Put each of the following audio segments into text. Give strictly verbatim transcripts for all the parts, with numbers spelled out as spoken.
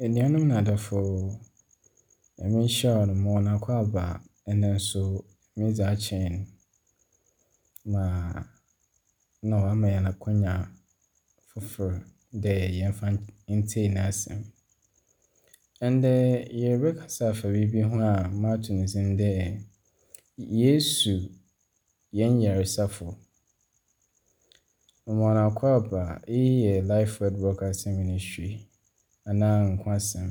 Enuanom na adɔfo, Nyame nhyira hɔn ma hɔn akwaaba ndɛ so medze akyɛ hɛn ma na ɔama hɛn akwanya fofor dɛ yɛmfa ntsie n'asɛm. Ndɛ yɛrebɛkasa afa biribi ho a mato ne dzin dɛ Yesu hɛn yaresafo. Mema hɔn akwaaba, iyi yɛ Life Word Broadcasting Ministry anaa Nkwasɛm.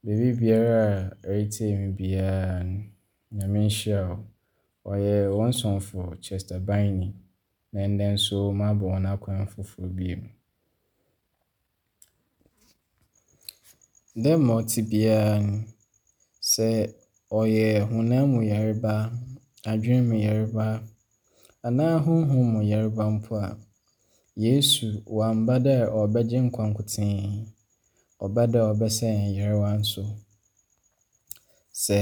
Beebi biara a eretsie me biara no, Nyame nhyira wo. Ɔyɛ hɔn somfo Chester Biney na ndɛ nso mabɔ hɔn akwan fofor bio. Dɛ ma ɔtse biara no, sɛ ɔyɛ honam mu yarba, adwen mu yarba anaa honhom mu yarba mpo a, Yesu ɔammba dɛ ɔrebɛgye nkwa nkotsee, ɔbaa dɛ ɔrebɛsa hɛn yarba nso. Sɛ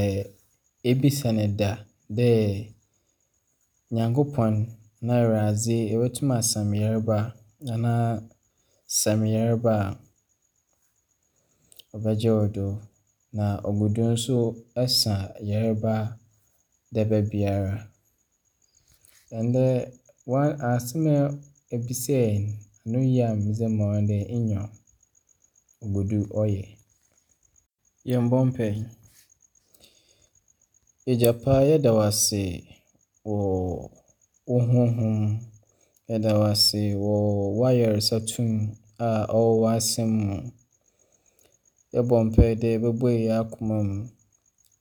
ebisa no da dɛ Nyankopɔn na Ewuradze ebotum asa me yarba anaa sa me yarba a, ɔbɛgye wo do. Na ogu do nso sa yarba daba biara. Ndɛ asɛm a ebisae no, ano yie a medze ma wo nye dɛ nyew, ogu do ɔyɛ. Yɛmbɔ mpae. Egya pa, yɛda wo ase wɔ wo honhom, yɛda wo ase wɔ w'ayarsa tum a ɔwɔ w'asɛm mu. Yɛbɔ mpae dɛ ebobue hɛn akoma mu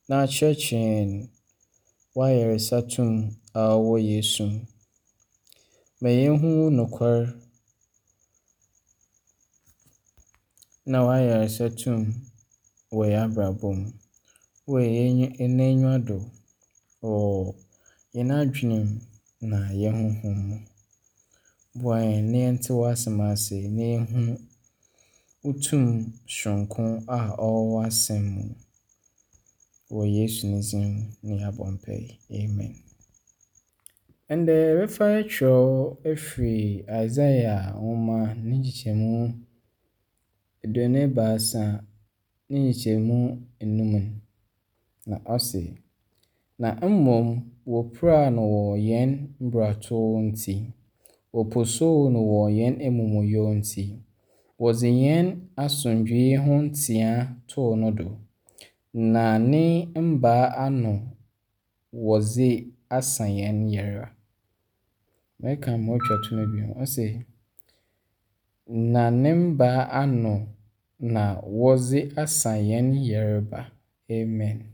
na akyerɛkyerɛ hɛn w'ayarsa tum a ɔwɔ Yesu mu. Ma yenhu wo nokwar na w'ayarsa tum wɔ hɛn abrabɔ mu, wɔ hɛn enyiwa do, wɔ hɛn adwen mu na hɛn honhom mu. Boa hɛn na yɛntse w'asɛm ase na yenhu wo tum soronko a ɔwɔ w'asɛm mu. Wɔ Yesu ne dzin mu na yɛabɔ mpae. Amen. Ndɛ yɛbɛfa kyerɛw efiri Isaiah nwoma ne nkyekyɛmu eduonu ebiasa ne nkyekyɛmu enum na ɔse, Na mmom wopiraa no wɔ hɛn mbrato ntsi, wɔposoo no wɔ hɛn emumuyɛ ntsi. Wɔdze hɛn asomdwee ho ntsea too no do, na ne mbaa ano wɔdze asa hɛn yarba. Mɛka ma otwa to no bio. Ɔse, na ne mbaa ano na wɔdze asa hɛn yarba. Amen.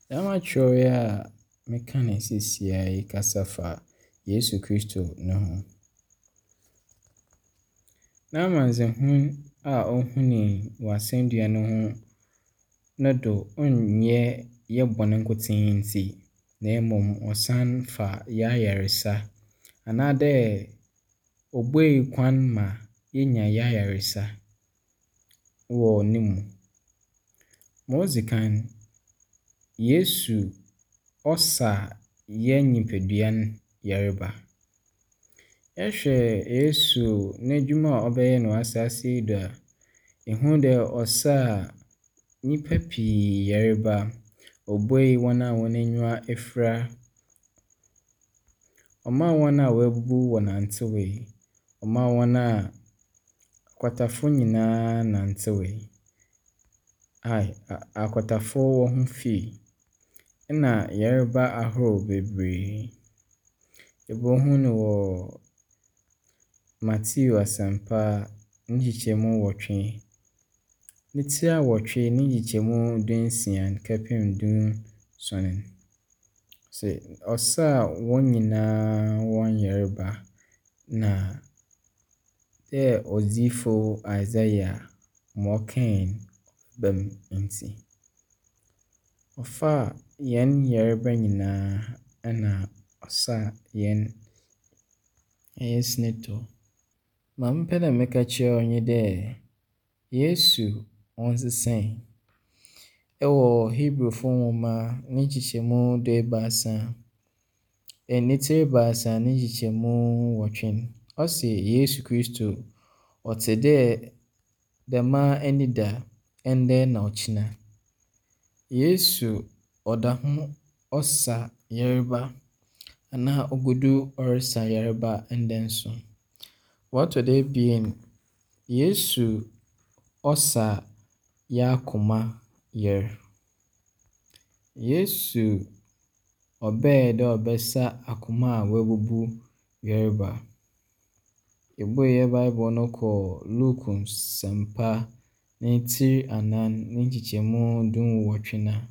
Dɛm akyerɛw yi a meka no seesei yi kasa fa Yesu Kristo no ho. N'amandzehu a ohunii wɔ asɛndua no ho no do nnyɛ hɛn bɔn nkotsee ntsi na mbom ɔsan fa hɛn ayarsa anaadɛ obuei kwan ma yenya hɛn ayarsa wɔ no mu. Ma odzi kan, Yesu ɔsa hɛn nyimpadua no yarba. Ehwɛ Yesu n'edwuma a ɔbɛyɛɛ no wɔ asaase yi do a, ihu dɛ ɔsaa nyimpa pii yarba. Obuei hɔn a hɔn enyiwa efura, ɔmaa hɔn a woebubu wɔnantsewee, ɔmaa hɔn a akwatafo nyinaa nantsewee. Ai, akwatafo hɔn ho fii, nna yarba ahorow beberee. Ibohu no wɔ Matthew Asɛmpa ne nkyekyɛmu nwɔtwe, ne tsir awɔtwe ne nkyekyɛmu dunsia kɛpem dunson. Sɛ ɔsaa hɔn nyinaa hɔn yarba na dɛ odziyifo Isaiah ma ɔkae no ba mu ntsi. Ɔfaa hɛn yarba nyinaa na ɔsaa hɛn hɛn sintɔ. Ma mepɛ dɛ meka kyerɛ wo nye dɛ Yesu ɔnnsesae. Ɛwɔ Hebrewfo nwoma ne nkyekyɛmu duebiasa, ne tsir ebiasa ne nkyekyɛmu nwɔtwe no, ɔse Yesu Kristo ɔtse dɛ Dɛm ara nye da, ndɛ na ɔkyena. Yesu ɔda ho ɔsa yarba anaa ogu do ɔresa yarba ndɛ so. Wɔtɔ do ebien, Yesu ɔsa y'akoma yar. Yesu ɔbae dɛ ɔrebɛsa akoma a woebubu yarba. Yɛbue hɛn Bible no kɔ Luke Nsɛmpa ne tsir anan ne nkyekyɛmu dunwɔtwe no a,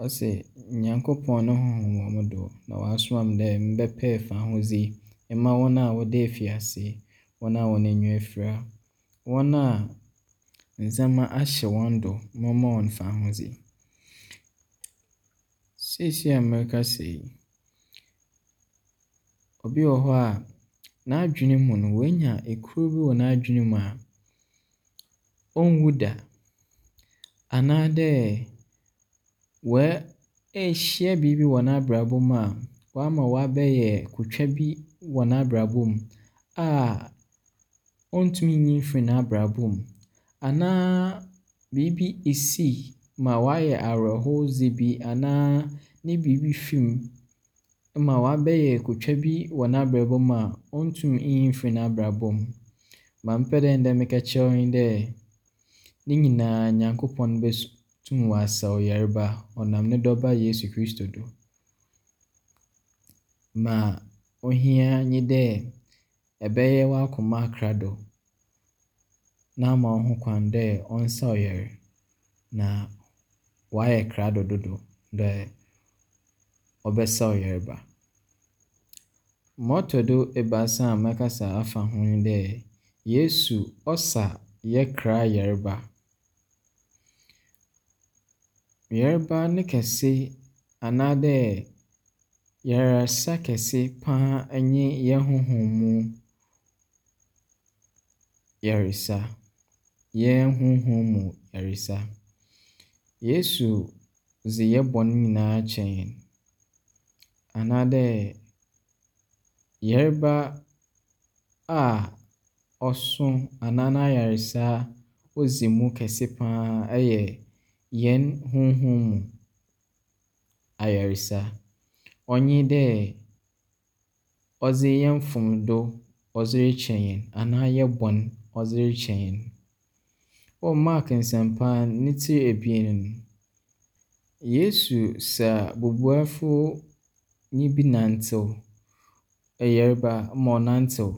ɔse, Nyankopɔn no honhom wɔ mo do, na ɔasoma me dɛ membɛpɛɛ fahodzi mma hɔn a wɔda efiase, hɔn a hɔn enyiwa efura, hɔn a ndzɛmba ahyɛ hɔn do, momma hɔn fahodzi. Seesei a merekasa yi, obi wɔ hɔ a n'adwene mu no, oenya ekuro bi wɔ n'adwene mu a onnwu da. Anaadɛ oehyia biribi wɔ n'abrabɔ mu a ɔama ɔabɛyɛ kotwa bi wɔ n'abrabɔ mu a onntum nnyi mmfir n'abrabɔ mu. Anaa biribi esi ma ɔayɛ awerɛhowdze bi anaa ne biribi fi mu ma ɔabɛyɛ kotwa bi wɔ n'abrabɔ mu a onntum nnyi mmfir n'abrabɔ mu. Ma mepɛ dɛ ndɛ meka kyerɛ wo nye dɛ, ne nyinaa Nyankopɔn botum ɔasa wo yarba ɔnam ne dɔba Yesu Kristo do. Ma ohia nye dɛ ɛbɛyɛ w'akoma krado na ama wo ho kwan dɛ ɔnsa wo yar na ɔayɛ krado dodo dɛ ɔbɛsa wo yarba. Ma ɔtɔ do ebiasa a mɛkasa afa ho nye dɛ, Yesu ɔsa yɛ kra yarba. Yarba ne kɛse anaadɛ yarsa kɛse paa nye hɛn honhom mu yarsa, hɛn honhom mu yarsa. Yesu dze hɛn bɔn nyinaa kyɛ hɛn anaadɛ yarba a ɔso anaa n'ayarsa odzi mu kɛse paa yɛ hɛn honhom mu ayarsa. Ɔnye dɛ ɔdze hɛn mfomdo ɔdze rekyɛ hɛn anaa hɛn bɔn ɔdze rekyɛ hɛn. Wɔ Mark Nsɛmpa ne tsir ebien no, Yesu sa bubuafonyi bi nantsew, yarba ma ɔnantsew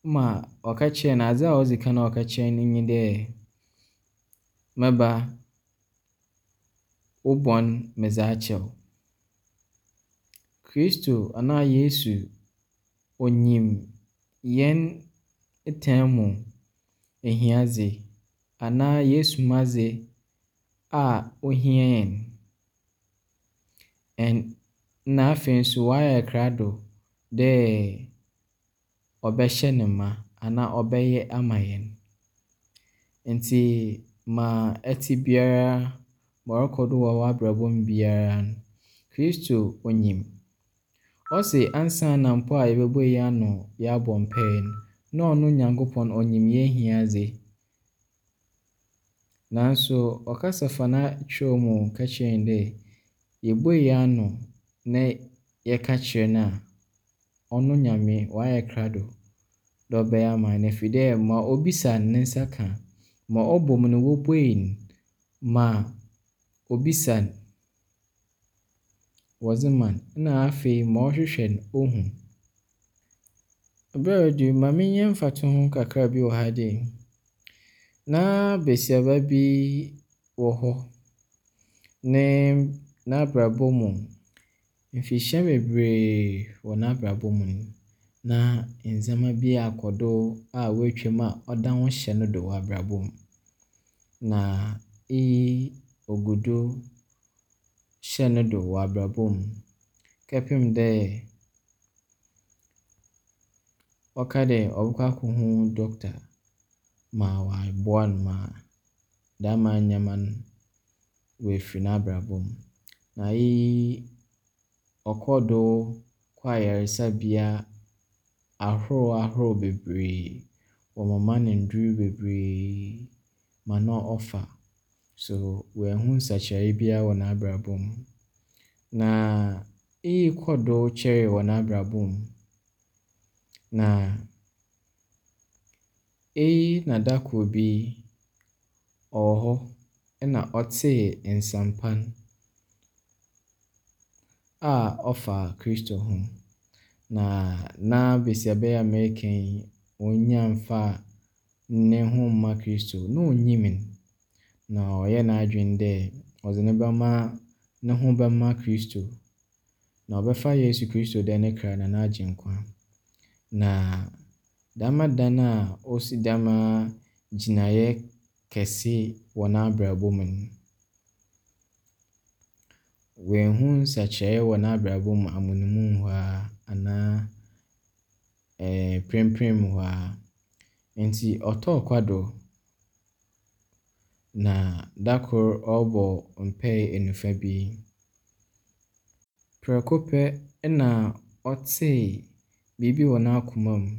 ma ɔka kyerɛɛ no, adze a odzi kan a ɔka kyerɛɛ no nye dɛ, me ba, wo bɔn medze akyɛ wo. Kristo anaa Yesu onyim hɛn tam mu ehiadze anaa y'esumadze a ohia hɛn. Ɛn na afei nso ɔayɛ krado dɛ ɔbɛhyɛ no ma anaa ɔbɛyɛ ama hɛn. Ntsi ma ɛtse biara, ma ɔrokɔ do wɔ w'abrabɔ mu biara no, Kristo onyim. Ɔse ansaana mpo a yɛbɛbue hɛn ano yɛabɔ mpae no, na ɔno Nyankopɔn onyim hɛn ehiadze. Naaso ɔkasa fa n'akyerɛw mu ka kyerɛ hɛn dɛ yebue hɛn ano na yɛka kyerɛ no a, ɔno Nyame ɔayɛ krado dɛ ɔbɛyɛ ama hɛn ɛfiri dɛ ma obisa no ne nsa ka, ma ɔbɔ mu no wobue no, ma obisa no wɔdze ma no, na afei ma ɔhwehwɛ no ohu. Ber a odu yi, ma menyɛ mfatoho kakra bi wɔ ha dei. Na besiaba bi wɔ hɔ, ne n'abrabɔ mu, mfirihyia bebree wɔ n'abrabɔ mu no, na ndzɛmba bi akɔ do a woetwa mu a ɔda ho hyɛ no do wɔ abrabɔ mu. Na iyi ogu do hyɛ no do wɔ abrabɔ mu kɛpem dɛ ɔka dɛ ɔbɔkɔ akɔhu doctor ma ɔaboa no ma dɛm ndzɛmba no woefir n'abrabɔ mu. Na iyi ɔkɔr do kɔɔ ayarsabea ahorow ahorow bebree. Wɔmema no ndur bebree ma na ɔfa. So oennhu nsakyeree biara wɔ n'abrabɔ mu. Na iyi kɔr do kyɛree wɔ n'abrabɔ mu. Na iyi na da kor bi ɔwɔ hɔ na ɔtsee nsɛmpa no a ɔfa Kristo ho. Na na besiaba yi a mereka yi, onnya mmfaa no ho mma Kristo. Na onnyim no. Na ɔyɛɛ n'adwen dɛ ɔdze no bɛma no ho bɛma Kristo. Na ɔbɛfa Yesu Kristo dɛ ne kra na n'agyenkwa. Na dɛm da no a osi dɛm gyinaeɛ kɛse wɔ n'abrabɔ mu no, oennhu nsakyeree wɔ n'abrabɔ mu amonmu hɔ ara anaa ɛɛ mprempren mu hɔ ara. Ntsi ɔtɔɔ kwado na da kor ɔrobɔ mpaa enufa bi. Prɛko pɛ na ɔtsee biribi wɔ n'akoma mu.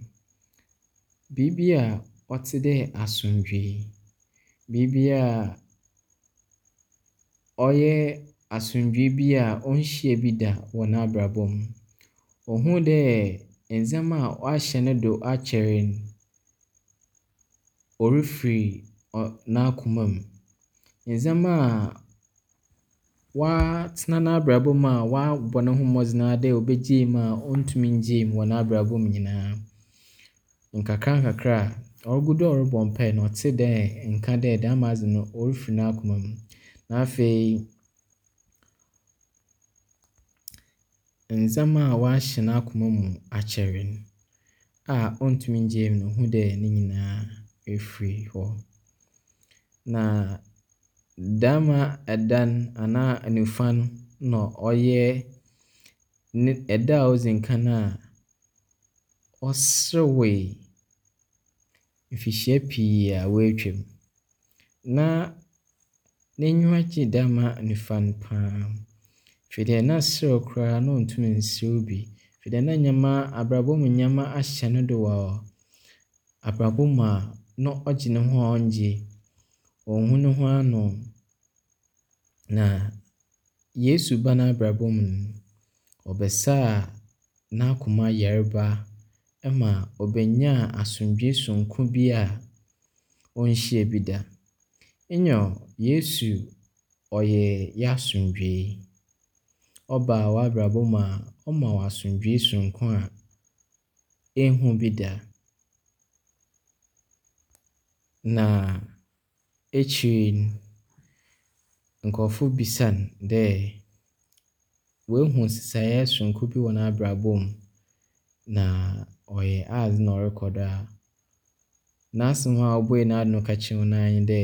Biribi a ɔtse dɛ asomdwee. Biribi a ɔyɛ asomdwee bi a onnhyia bi da wɔ n'abrabɔ mu. Ohun dɛ ndzɛmba a ɔahyɛ no do akyɛr no, orifir n'akoma mu. Ndzɛmba a ɔatsena n'abrabɔ mu a ɔabɔ no ho mbɔdzen ara dɛ obegyaa mu a onntum nngyaa mu wɔ n'abrabɔ mu nyinaa, nkakrankakra a ogu do a ɔrobɔ mpaa no, ɔtsee dɛ nka dɛ dɛm adze no orifir n'akoma mu. Na afei ndzɛmba a ɔahyɛ n'akoma mu akyɛr no a onntum nngyaa mu no, ohun dɛ ne nyinaa efir hɔ. Na dɛm da no anaa enufa no na ɔyɛ ne da a odzi kan a ɔserewee mfirihyia pii a woetwa mu. Na n'enyiwa gyee dɛm anufua no paa. Firi dɛ na serew koraa na onntum nnserew bi. Firi dɛ na ndzɛmba abrabɔ mu ndzɛmba ahyɛ no do wɔ abrabɔ mu a na ɔgye no ho a ɔnngye. Onnhu no ho ano. Na Yesu baa n'abrabɔ mu no, ɔbɛsaa n'akoma yarba ma obenyaa asomdwee soronko bi a onnhyia bi da. Nyew, Yesu ɔyɛ hɛn asomdwee. Ɔba w'abrabɔ mu a, ɔma wo asomdwee soronko a ennhu bi da. Na ekyir no, nkorɔfo bisa no dɛ oehu nsesae soronko bi wɔ n'abrabɔ mu na ɔyɛ adze na ɔrokɔ do a, n'asɛm a obuee n'ano ka kyerɛɛ hɔn ara nye dɛ,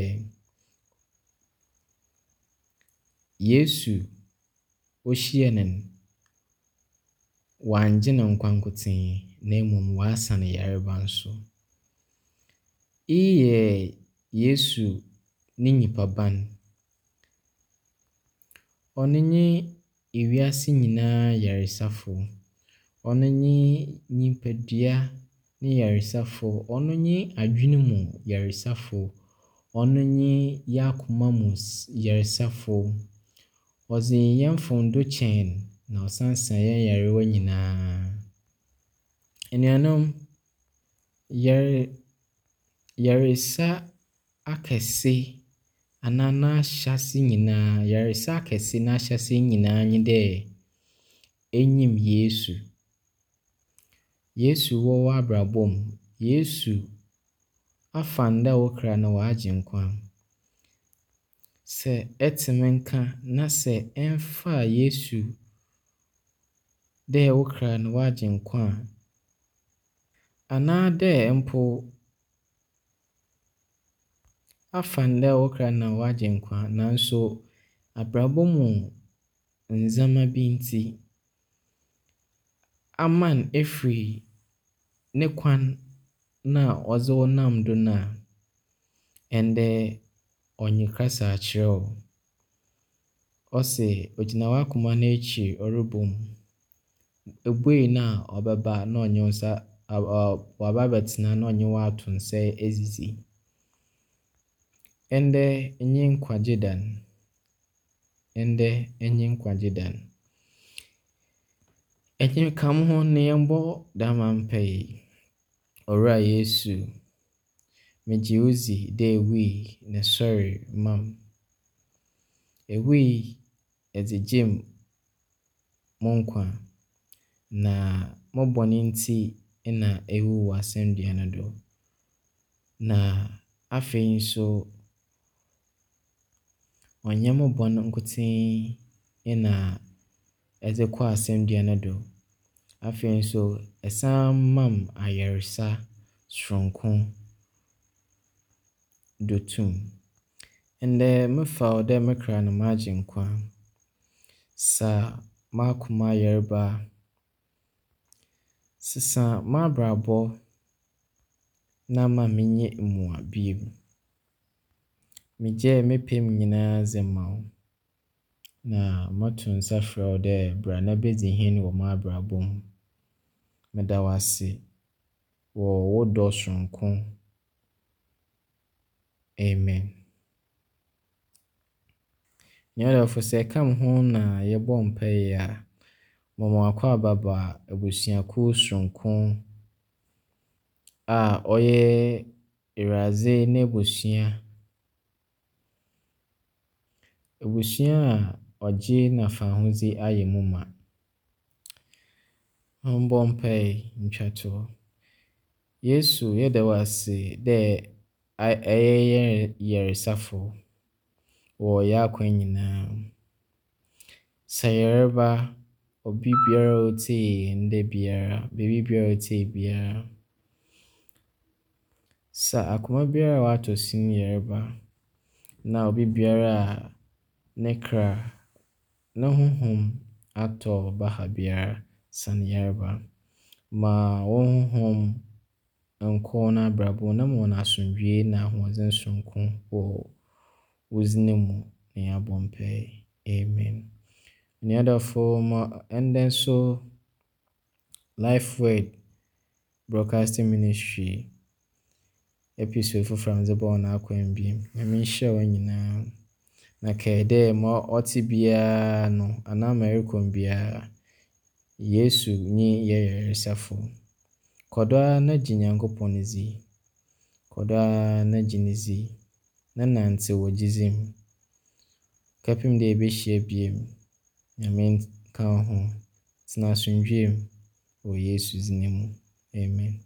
Yesu ohyia no no, ɔanngye no nkwa nkotsee na mbom ɔasa no yarba so. Iyi yɛ Yesu ne nyimpaban. Ɔno nye ewiase nyinaa yaresafo. Ɔno nye nyimpadua ne yaresafo. Ɔno nye adwen mu yaresafo. Ɔno nye hɛn akoma mu yaresafo. Ɔdze hɛn mfomdo kyɛ hɛn na ɔsan sa hɛn nyarewa nyinaa. Enuanom, yar yaresa akɛse anaa n'ahyɛse nyinaa, yaresa akɛse n'ahyɛse nyinaa nye dɛ enyim Yesu. Yesu wɔ w'abrabɔ mu. Yesu afa no dɛ wo kra na w'agyenkwa. Sɛ etse me nka na sɛ emmfaa Yesu dɛ wo kra na w'agyenkwa a, anaadɛ mpo afa no dɛ wo kra na w'agyenkwa naaso abrabɔ mu ndzɛmba bi ntsi aman efir ne kwan no a ɔdze wo nam do no a, ndɛ ɔnye kasa akyerɛ wo. Ɔse ogyina w'akoma n'ekyir ɔrobɔ mu. Ebue no a ɔbɛba na ɔnye wo nsa. ɔaba abɛtsena na ɔnye wo ato nsa edzidzi. Ndɛ nye nkwagye da no. Ndɛ nye nkwagye da no. Enye ka mo ho na yɛmbɔ dɛm mpaa yi. Owura Yesu, megye wo dzi dɛ ewui na esoɛree maa me. Ewui edze gyee mo nkwa, na mo bɔn ntsi na ewu wɔ asɛndua no do. Na afei so, ɔnnyɛ mo bɔn nkotsee na edze kɔɔ asɛndua no do. Afei so, esan maa me ayarsa soronko do tum. Ndɛ mefa wo dɛ me kra na m'agyenkwa. Sa m'akoma yarba. Sesa m'abrabɔ na mma mennyɛ mua bio. Megyaa me pɛ mu nyinaa dze ma wo, na moto nsa frɛ wo dɛ bra na bedzi hen wɔ m'abrabɔ mu. Meda wo ase wɔ wo dɔ soronko. Amen. Nua dɔfo, sɛ ɛka me ho na yɛbɔ mpae a, mama w'akwaaba ba abusuakuw soronko a ɔyɛ Ewuradze n'ebusua. Ebusua a ɔgye na fahodzi ayɛ mu ma. Mombɔ mpae ntwa toɔ. Yesu, yɛda wo ase dɛ ɛyɛ yɛn yaresafo wɔ yɛn akwan nyinaa mu. Sɛ yarba, obi biara a otsie ndɛ biara, beebi biara a otsie biara, sa akoma biara a ɔatɔ sin yarba, na obi biara a ne kra, ne honhom atɔ baha biara, sa no yarba. Ma wo honhom nkɔ hɔn abrabɔ mu na ma hɔn asomdwee na ahoɔdzen soronko wɔ wo dzin mu na yɛabɔ mpae. Amen. Nua dɔfo, ma ndɛ nso Life Word Broadcasting Ministry episode fofor a medze bɔɔ hɔn akwan bio. Nyame nhyira hɔn nyinaa. Na kae dɛ ma ɔtse biara no anaa ma ɛrekɔ biara, Yesu nye yɛn yaresafo. Kɔ do ara na gye Nyankopɔn dzi. Kɔ do ara na gye ne dzi na nantsew wɔ gyedzi mu. Kɛpem dɛ yɛbɛhyia bio. Nyame nka wo ho. Tsena asomdwee mu wɔ Yesu dzin mu. Amen.